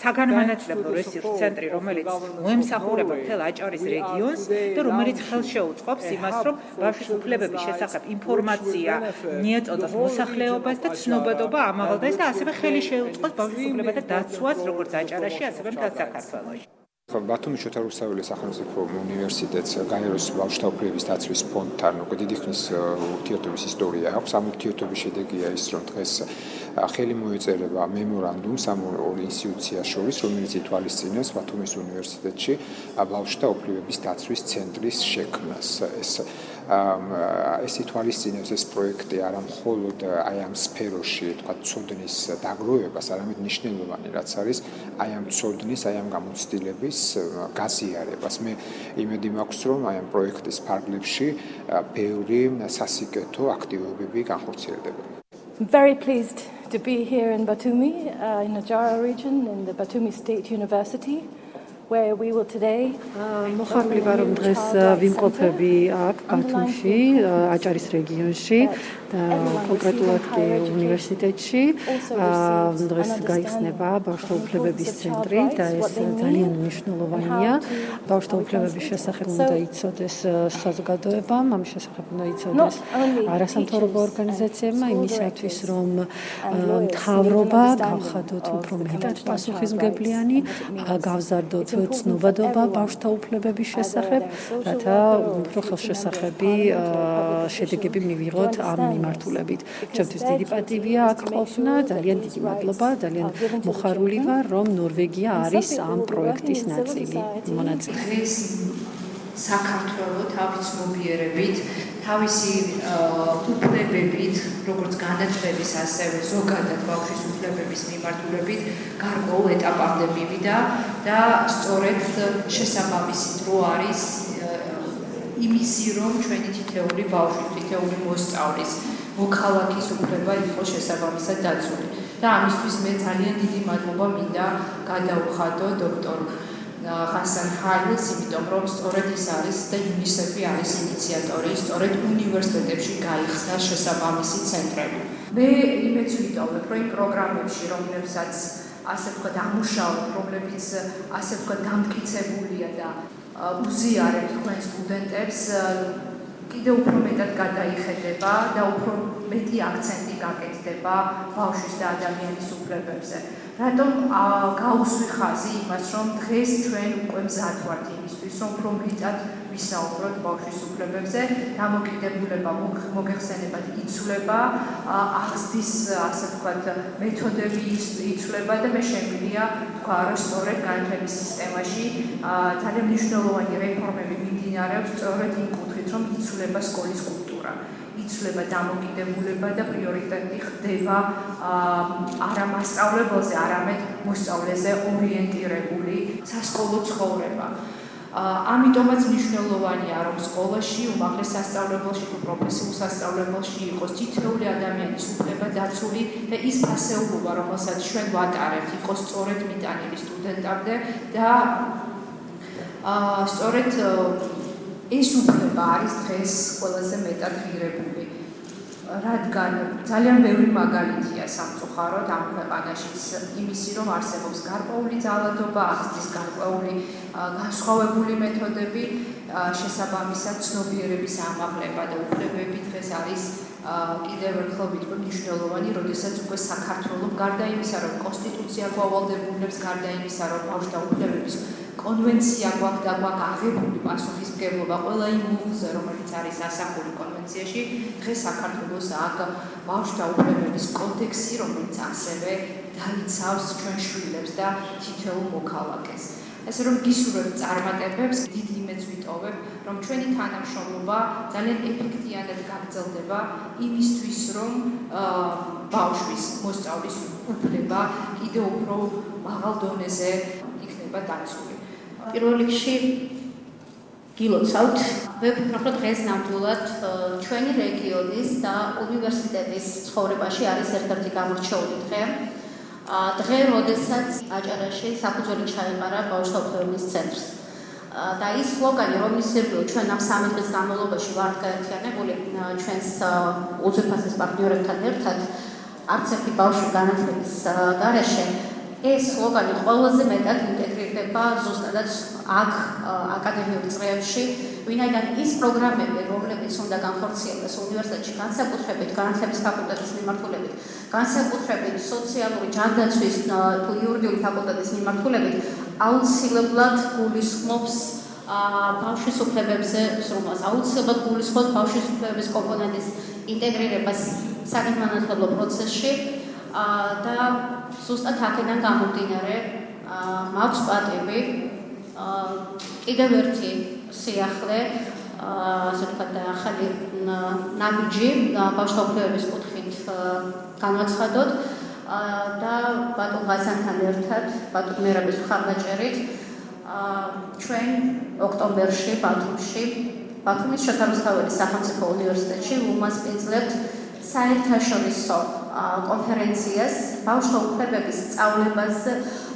საგანმანათლებლო რესურს ცენტრი, რომელიც მოემსახურება მთელ აჭარის რეგიონს და რომელიც ხელშეუწყობს იმას, რომ ბავშვის უფლებების შესახებ ინფორმაცია მიეწოდოს მოსახლეობას და ცნობადობა ამაღლდეს და ასევე ხელი შეუწყოს ბავშვის უფლებათა დაცვას როგორც აჭარაში, ასევე მთელ საქართველოში. ბათუმის შოთა რუსთაველის სახელმწიფო უნივერსიტეტს გაეროს ბავშვთა უფლებების დაცვის ფონდთან უკვე დიდი ხნის ურთიერთობის ისტორია აქვს. ამ ურთიერთობის შედეგია ის, რომ დღეს ხელი მოეწერება მემორანდუმს ამ ორ ინსტიტუციას შორის, რომელიც ითვალისწინებს ბათუმის უნივერსიტეტში ბავშვთა უფლებების დაცვის ცენტრის შექმნას. ეს ითვალისწინებს ეს პროექტი არა მხოლოდ აი ამ სფეროში, თქვა ცოდნის დაგროვებას, არამედ მნიშვნელოვანი რაც არის აი ამ ცოდნის, აი ამ გამოცდილების გაზიარებას. მე იმედი მაქვს, რომ აი ამ პროექტის ფარგლებში ბევრი სასიკეთო აქტივობები განხორციელდება. I'm very pleased to be here in Batumi, in the Ajara region, in the Batumi State University, where we will today მოხარული ვარ რომ დღეს ვიმყოფები აქ ბათუმში, აჭარის რეგიონში და კონკრეტულად კი უნივერსიტეტში. დღეს გაიხსნება ბავშვთა უფლებების ცენტრი და ეს ძალიან მნიშვნელოვანია. ბავშვთა უფლებების შესახებ უნდა იცოდეს საზოგადოებამ, ამის შესახებ უნდა იცოდეს არასამთავრობო ორგანიზაციებმა იმისათვის, რომ მთავრობა გავხადოთ უფრო მეტად პასუხისმგებლიანი, გავზარდოთ ცნობადობა ბავშვთა უფლებების შესახებ, რათა უფრო ხელშესახები შედეგები მივიღოთ ამ მიმართულებით. ჩემთვის დიდი პატივია აქ ყოფნა, ძალიან დიდი მადლობა, ძალიან მოხარული ვარ, რომ ნორვეგია არის ამ პროექტის მონაწილე. საქართველო თავის ცნობიერებით, თავისი უფლებებით, როგორც განათლების, ასევე ზოგადად ბავშვის უფლებების მიმართულებით გარკვეულ ეტაპამდე მივიდა და სწორედ შესაბამისი დრო არის იმისი, რომ ჩვენი თითეული ბავშვის, თითეული მოსწავლის მოქალაქის უფლება იყოს შესაბამისად დაცული. და ამისთვის მე ძალიან დიდი მადლობა მინდა გადაუხადო დოქტორ ღაზან ხალილს, იმიტომ რომ სწორედ ის არის და UNICEF-ი არის ინიციატორი, სწორედ უნივერსიტეტებში გაიხსნა შესაბამისი ცენტრები. მე იმეც ვიტოვებ, რომ იმ პროგრამებში, რომლებსაც ასე ვთქვათ ამუშავებთ, რომლებიც ასე ვთქვათ დამტკიცებულია და უზიარებთ თქვენ სტუდენტებს, კიდევ უფრო მეტად გადაიხედება და უფრო მეტი აქცენტი გაკეთდება ბავშვის და ადამიანის უფლებებზე. რატომ გაუსვი ხაზი იმას, რომ დღეს ჩვენ უკვე მზად ვართ იმისთვის, რომ უფრო მეტად ვისაუბროთ ბავშვის უფლებებზე, დამოკიდებულება მოგეხსენებათ იცვლება, აღზრდის ასე ვთქვათ მეთოდები იცვლება და მე შემიძლია თქვა, რომ სწორედ განათლების სისტემაში ძალიან მნიშვნელოვანი რეფორმები მიმდინარეობს სწორედ იმ კუთხით, რომ იცვლება სკოლის კულტურა. იცვლება დამოკიდებულება და პრიორიტეტი ხდება არა მასწავლებელზე, არამედ მოსწავლეზე ორიენტირებული სასკოლო ცხოვრება. ამიტომაც მნიშვნელოვანია, რომ სკოლაში, უმაღლეს სასწავლებელში თუ პროფესიულ სასწავლებელში იყოს თითოეული ადამიანის უფლება დაცული და ის ფასეულობა, რომელსაც ჩვენ ვატარებთ, იყოს სწორედ მიტანილი სტუდენტამდე და სწორედ ეს უფლება არის დღეს ყველაზე მეტად ღირებული, რადგან ძალიან ბევრი მაგალითია სამწუხაროდ ამ ქვეყანაშიც იმისი, რომ არსებობს გარკვეული ძალადობა, აღზრდის გარკვეული განსხვავებული მეთოდები, შესაბამისად ცნობიერების ამაღლება და უფლებები დღეს არის კიდევ ერთხელ ვიტყვი მნიშვნელოვანი, როდესაც უკვე საქართველოს გარდა იმისა, რომ კონსტიტუცია გვავალდებულებს, გარდა იმისა, რომ ბავშვთა უფლებების კონვენცია გვაქვს და გვაქვს აღებული პასუხისმგებლობა ყველა იმ მუხლზე, რომელიც არის ასახული კონვენციაში, დღეს საქართველოს აქვს ბავშვთა უფლებების კოდექსი, რომელიც ასევე დაიცავს ჩვენ შვილებს და თითოეულ მოქალაქეს. ასე რომ გისურვებთ წარმატებებს, დიდ იმედს ვიტოვებ, რომ ჩვენი თანამშრომლობა ძალიან ეფექტიანად გაგრძელდება იმისთვის, რომ ბავშვის მოსწავლის უფლება კიდევ უფრო მაღალ დონეზე იქნება დაცული. პირველ რიგში გილოცავთ, ვეფიქრობ, რომ დღეს ნამდვილად ჩვენი რეგიონის და უნივერსიტეტის ცხოვრებაში არის ერთ-ერთი გამორჩეული დღე. დღე, როდესაც აჭარაში საფუძველი ჩაეყარა ბავშვთა უფლებების ცენტრს. და ის სლოგანი, რომლის ირგვლივ ჩვენ ამ 3 დღის განმავლობაში ვართ გაერთიანებული ჩვენს უძვირფასეს პარტნიორებთან ერთად, არც ერთი ბავშვი განათლების გარეშე, ეს სლოგანი ყველაზე მეტად ინტეგრირდება ზუსტად აქ აკადემიურ წრეებში, ვინაიდან ის პროგრამები, რომლებიც უნდა განხორციელდეს უნივერსიტეტში, განსაკუთრებით განათლების ფაკულტეტის მიმართულებით, განსაკუთრებით სოციალური ჯანდაცვის თუ იურიდიული ფაკულტეტის მიმართულებით, აუცილებლად გულისხმობს ბავშვის უფლებებზე ზრუნვას, აუცილებლად გულისხმობს ბავშვის უფლებების კომპონენტის ინტეგრირებას საგანმანათლებლო პროცესში და ზუსტად აქედან გამომდინარე მაქვს პატივი კიდევ ერთი სიახლე, ასე ვთქვათ, ახალი ნაბიჯი ბავშვთა უფლებების კუთხით განვაცხადოთ და ბატონ ღაზანთან ერთად, ბატონ მერაბის მხარდაჭერით ჩვენ ოქტომბერში ბათუმის შოთა რუსთაველის სახელმწიფო უნივერსიტეტში უმასპინძლებთ საერთაშორისო კონფერენციას ბავშვთა უფლებების სწავლებაზე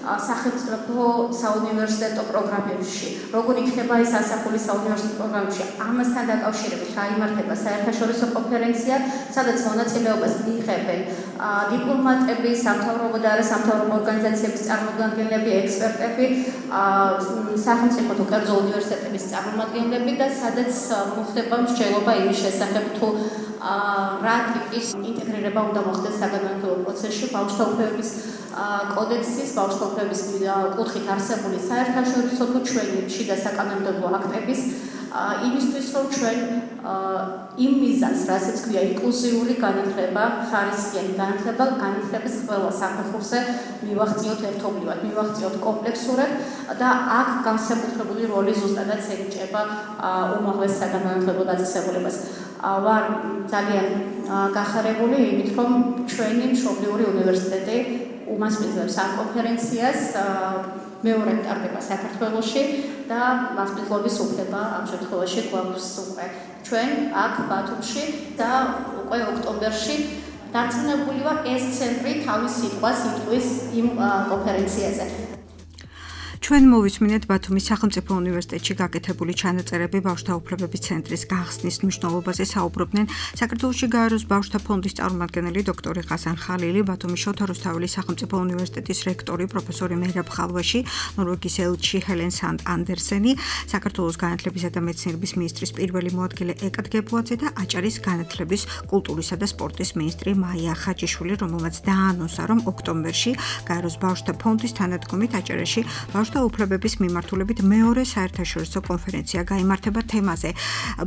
სახელმწიფო საუნივერსიტეტო პროგრამებში. როგორ იქნება ეს ასახული საუნივერსიტეტო პროგრამებში? ამასთან დაკავშირებით გაიმართება საერთაშორისო კონფერენცია, სადაც მონაწილეობას მიიღებენ დიპლომატები, სამთავრობო და არასამთავრობო ორგანიზაციების წარმომადგენლები, ექსპერტები, სახელმწიფო თუ კერძო უნივერსიტეტების წარმომადგენლები და სადაც მოხდება მსჯელობა იმის შესახებ, თუ რა ტიპის ინტეგრირება უნდა მოხდეს საგანმანათლებლო პროცესში ბავშვთა უფლებების კოდექსის, ბავშვთა უფლებების კუთხით არსებული საერთაშორისო თუ ჩვენი შიდა საკანონმდებლო აქტების იმისთვის, რომ ჩვენ იმ მიზანს, რასაც ქვია ინკლუზიური განათლება, ხარისხიანი განათლება, განათლების ყველა საფეხურზე მივაღწიოთ ერთობლივად, მივაღწიოთ კომპლექსურად და აქ განსაკუთრებული როლი ზუსტადაც ენიჭება უმაღლეს საგანმანათლებლო დაწესებულებას. ვარ ძალიან გახარებული იმით, რომ ჩვენი მშობლიური უნივერსიტეტი უმასპინძლებს ამ კონფერენციას, მეორედ ტარდება საქართველოში და მასპინძლობის უფლება ამ შემთხვევაში გვაქვს უკვე ჩვენ აქ ბათუმში და უკვე ოქტომბერში დარწმუნებული ვარ, ეს ცენტრი თავის სიტყვას იტყვის იმ კონფერენციაზე. ჩვენ მოვისმინეთ ბათუმის სახელმწიფო უნივერსიტეტში გაკეთებული ჩანაწერები ბავშვთა უფლებების ცენტრის გახსნის მნიშვნელობაზე საუბრობდნენ საქართველოში გაეროს ბავშვთა ფონდის წარმომადგენელი დოქტორი ღაზან ხალილი, ბათუმის შოთა რუსთაველის სახელმწიფო უნივერსიტეტის რექტორი პროფესორი მეჰრაბ ხალვაში, ნორვეგიის ელჩი ჰელენ სანდ ანდერსენი, საქართველოს განათლებისა და მეცნიერების მინისტრის პირველი მოადგილე ეკად გებუაძე და აჭარის განათლების, კულტურისა და სპორტის მინისტრი მაია ხაჯიშვილი, რომელმაც დაანონსა, რომ ოქტომბერში გაეროს ბავშვთა ფონდის თანადგომით აჭარაში ბავშვთა უფლებების მიმართულებით მეორე საერთაშორისო კონფერენცია გაიმართება თემაზე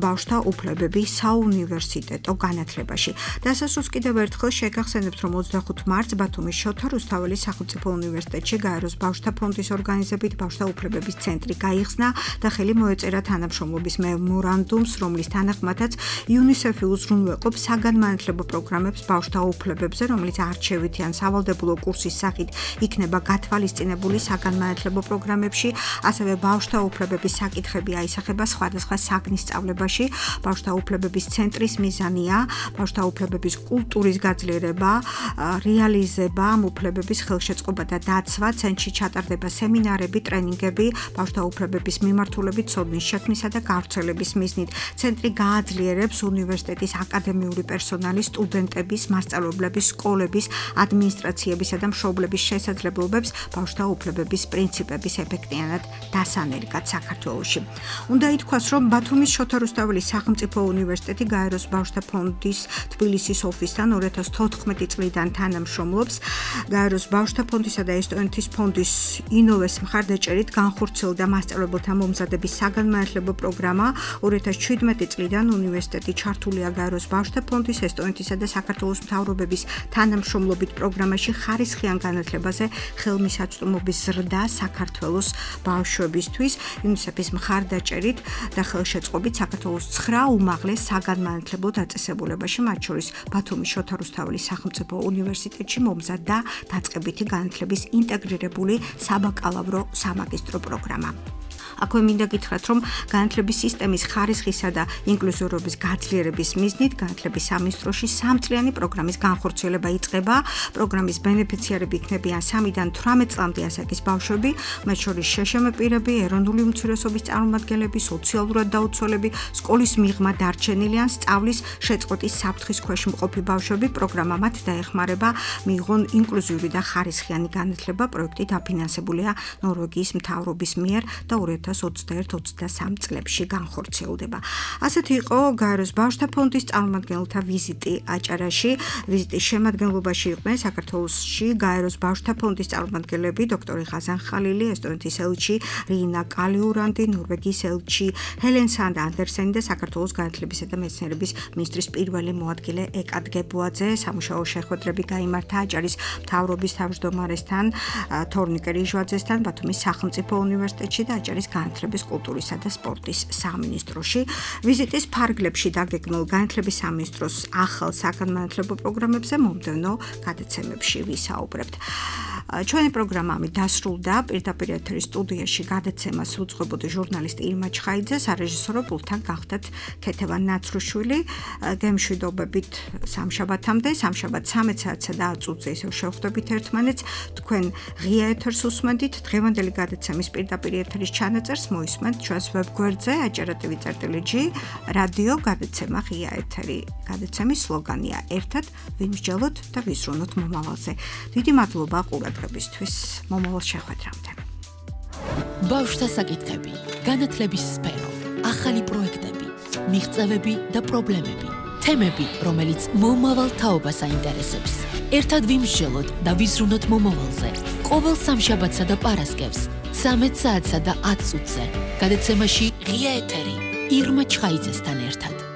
ბავშვთა უფლებები საუნივერსიტეტო განათლებაში. დასასრულს კიდევ ერთხელ შეგახსენებთ, რომ 25 მარტს ბათუმის შოთა რუსთაველის სახელმწიფო უნივერსიტეტში გაეროს ბავშვთა ფონდის ორგანიზებით ბავშვთა უფლებების ცენტრი გაიხსნა და ხელი მოეწერა თანამშრომლობის მემორანდუმს, რომლის თანახმადაც იუნისეფი უზრუნველყოფს საგანმანათლებლო პროგრამებს ბავშვთა უფლებებზე, რომელიც არჩევითი ან სავალდებულო კურსის სახით იქნება გათვალისწინებული საგანმანათლებლო პროგრამებში, ასევე ბავშვთა უფლებების საკითხები აისახება სხვადასხვა საგნის სწავლებაში. ბავშვთა უფლებების ცენტრის მიზანია ბავშვთა უფლებების კულტურის გაძლიერება, რეალიზება, ამ უფლებების ხელშეწყობა და დაცვა. ცენტრში ჩატარდება სემინარები, ტრენინგები ბავშვთა უფლებების მიმართულებით ცოდნის შექმნისა და გავრცელების მიზნით. ცენტრი გააძლიერებს უნივერსიტეტის აკადემიური პერსონალის, სტუდენტების, მასწავლებლების, სკოლების, ადმინისტრაციებისა და მშობლების შესაძლებლობებს ბავშვთა უფლებების პრინციპების პროექტის ეფექტიანად დასანერგად საქართველოში. უნდა ითქვას, რომ ბათუმის შოთა რუსთაველის სახელმწიფო უნივერსიტეტი გაეროს ბავშვთა ფონდის თბილისის ოფისთან 2014 წლიდან თანამშრომლობს. გაეროს ბავშვთა ფონდისა და ესტონეთის ფონდის ინოვეს მხარდაჭერით განხორციელდა მასწავლებელთა მომზადების საგანმანათლებლო პროგრამა. 2017 წლიდან უნივერსიტეტი ჩართულია გაეროს ბავშვთა ფონდის, ესტონეთისა და საქართველოს მთავრობების თანამშრომლობით პროგრამაში ხარისხიან განათლებაზე ხელმისაწვდომობის ზრდა საქართველოს ბავშვებისთვის. UNICEF-ის მხარდაჭერით და ხელშეწყობით საქართველოს 9 უმაღლეს საგანმანათლებლო დაწესებულებაში, მათ შორის ბათუმის შოთა რუსთაველის სახელმწიფო უნივერსიტეტში მომზადდა დაწყებითი განათლების ინტეგრირებული საბაკალავრო სამაგისტრო პროგრამა. აქვე მინდა გითხრათ, რომ განათლების სისტემის ხარისხისა და ინკლუზიურობის გაძლიერების მიზნით განათლების სამინისტროში 3-წლიანი პროგრამის განხორციელება იწყება. პროგრამის ბენეფიციარები იქნებიან 3-დან 18 წლამდე ასაკის ბავშვები, მათ შორის შეშემე პირები, ეროვნული უმცირესობის წარმომადგენლები, სოციალურად დაუცველები, სკოლის მიღმა დარჩენილი ან სწავლის შეწყვეტის საფრთხის ქვეშ მყოფი ბავშვები. პროგრამა მათ დაეხმარება მიიღონ ინკლუზიური და ხარისხიანი განათლება. პროექტი დაფინანსებულია ნორვეგიის მთავრობის მიერ და 2021-23 წლებში განხორციელდება. ასეთი იყო გაეროს ბავშვთა ფონდის წარმომადგენელთა ვიზიტი აჭარაში. ვიზიტის შემადგენლობაში იყვნენ საქართველოში გაეროს ბავშვთა ფონდის წარმომადგენლები დოქტორი ღაზან ხალილი, ესტონეთის ელჩი რინა კალიურანდი, ნორვეგიის ელჩი ჰელენ სანდ ანდერსენი და საქართველოს განათლებისა და მეცნიერების მინისტრის პირველი მოადგილე ეკად გებუაძე. სამუშაო შეხვედრები გაიმართა აჭარის მთავრობის თავმჯდომარესთან, თორნიკე რიჟვაძესთან, ბათუმის სახელმწიფო უნივერსიტეტში და აჭარის განათლების, კულტურისა და სპორტის სამინისტროში. ვიზიტის ფარგლებში დაგეგმილ განათლების სამინისტროს ახალ საგანმანათლებლო პროგრამებზე მომდევნო გადაცემებში ვისაუბრებთ. ჩვენი პროგრამა ამით დასრულდა. პირდაპირ ეთერის სტუდიაში გადაცემას უძღვებოდა ჟურნალისტი ირმა ჩხაიძე, სარეჟისორო პულტთან გახდათ ქეთევან ნაცრუშვილი. გემშვიდობებით სამშაბათამდე, სამშაბათ 13 საათსა და 10 წუთზე ისევ შევხვდებით ერთმანეთს. თქვენ ღია ეთერს უსმენთ. დღევანდელი გადაცემის პირდაპირ ეთერის ჩანაწერს მოისმენთ ჩვენს ვებგვერდზე acara.tv.g რადიო გადაცემა ღია ეთერი. გადაცემის სლოგანია ერთად ვიმსჯელოთ და ვიზრუნოთ მომავალზე. დიდი მადლობა ყურადღებისთვის. მომავალ შეხვედრამდე. ბავშვთა საკითხები, განათლების სფერო, ახალი პროექტები, მიღწევები და პრობლემები, თემები, რომელიც მომავალ თაობას აინტერესებს. ერთად ვიმსჯელოთ და ვიზრუნოთ მომავალზე. ყოველ სამშაბათსა და პარასკევს 13 საათსა და 10 წუთზე. გადაცემაში ღია ეთერი ირმა ჩხაიძესთან ერთად.